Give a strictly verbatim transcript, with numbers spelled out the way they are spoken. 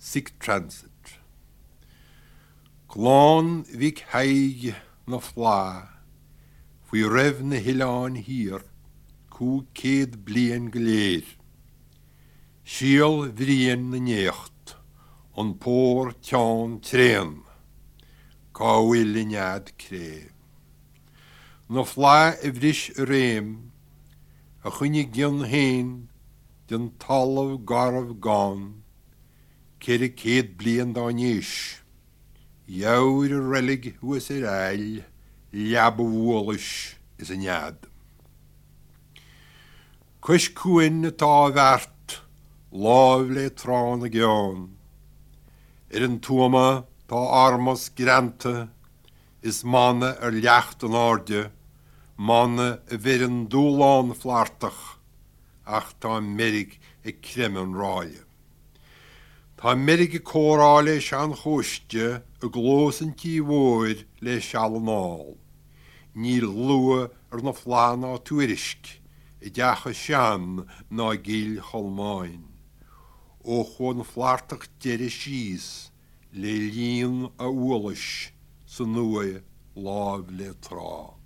Sick Transit. Glán vig haig na flá, fwy ref na hiláin hir, cú céad blian gléir. Sial vrian na necht, an pór teán tréan, cá bhfuil i nead cré. Na flá i bhris réim, a chuine gin hain, den talamh garmh gan, céir a céad blian dá níos. Jouwr a relig was er eil, liab woolish is een jad. Kush kuin na ta vert, lovely tran a gjan. Er een tuama ta armas grante, is manne er liacht an orde, manne a vir een doelan flartach, ach ta merig e kremen raie. Tá merig córá leis an chóiste a glósan tí mhóir leis allanál. Níl lua ar na flána tuairisc, i deacha sean ná gil cholmáin. Ó chun flartach deire síos, le líon a uolis sa nua láb le trá.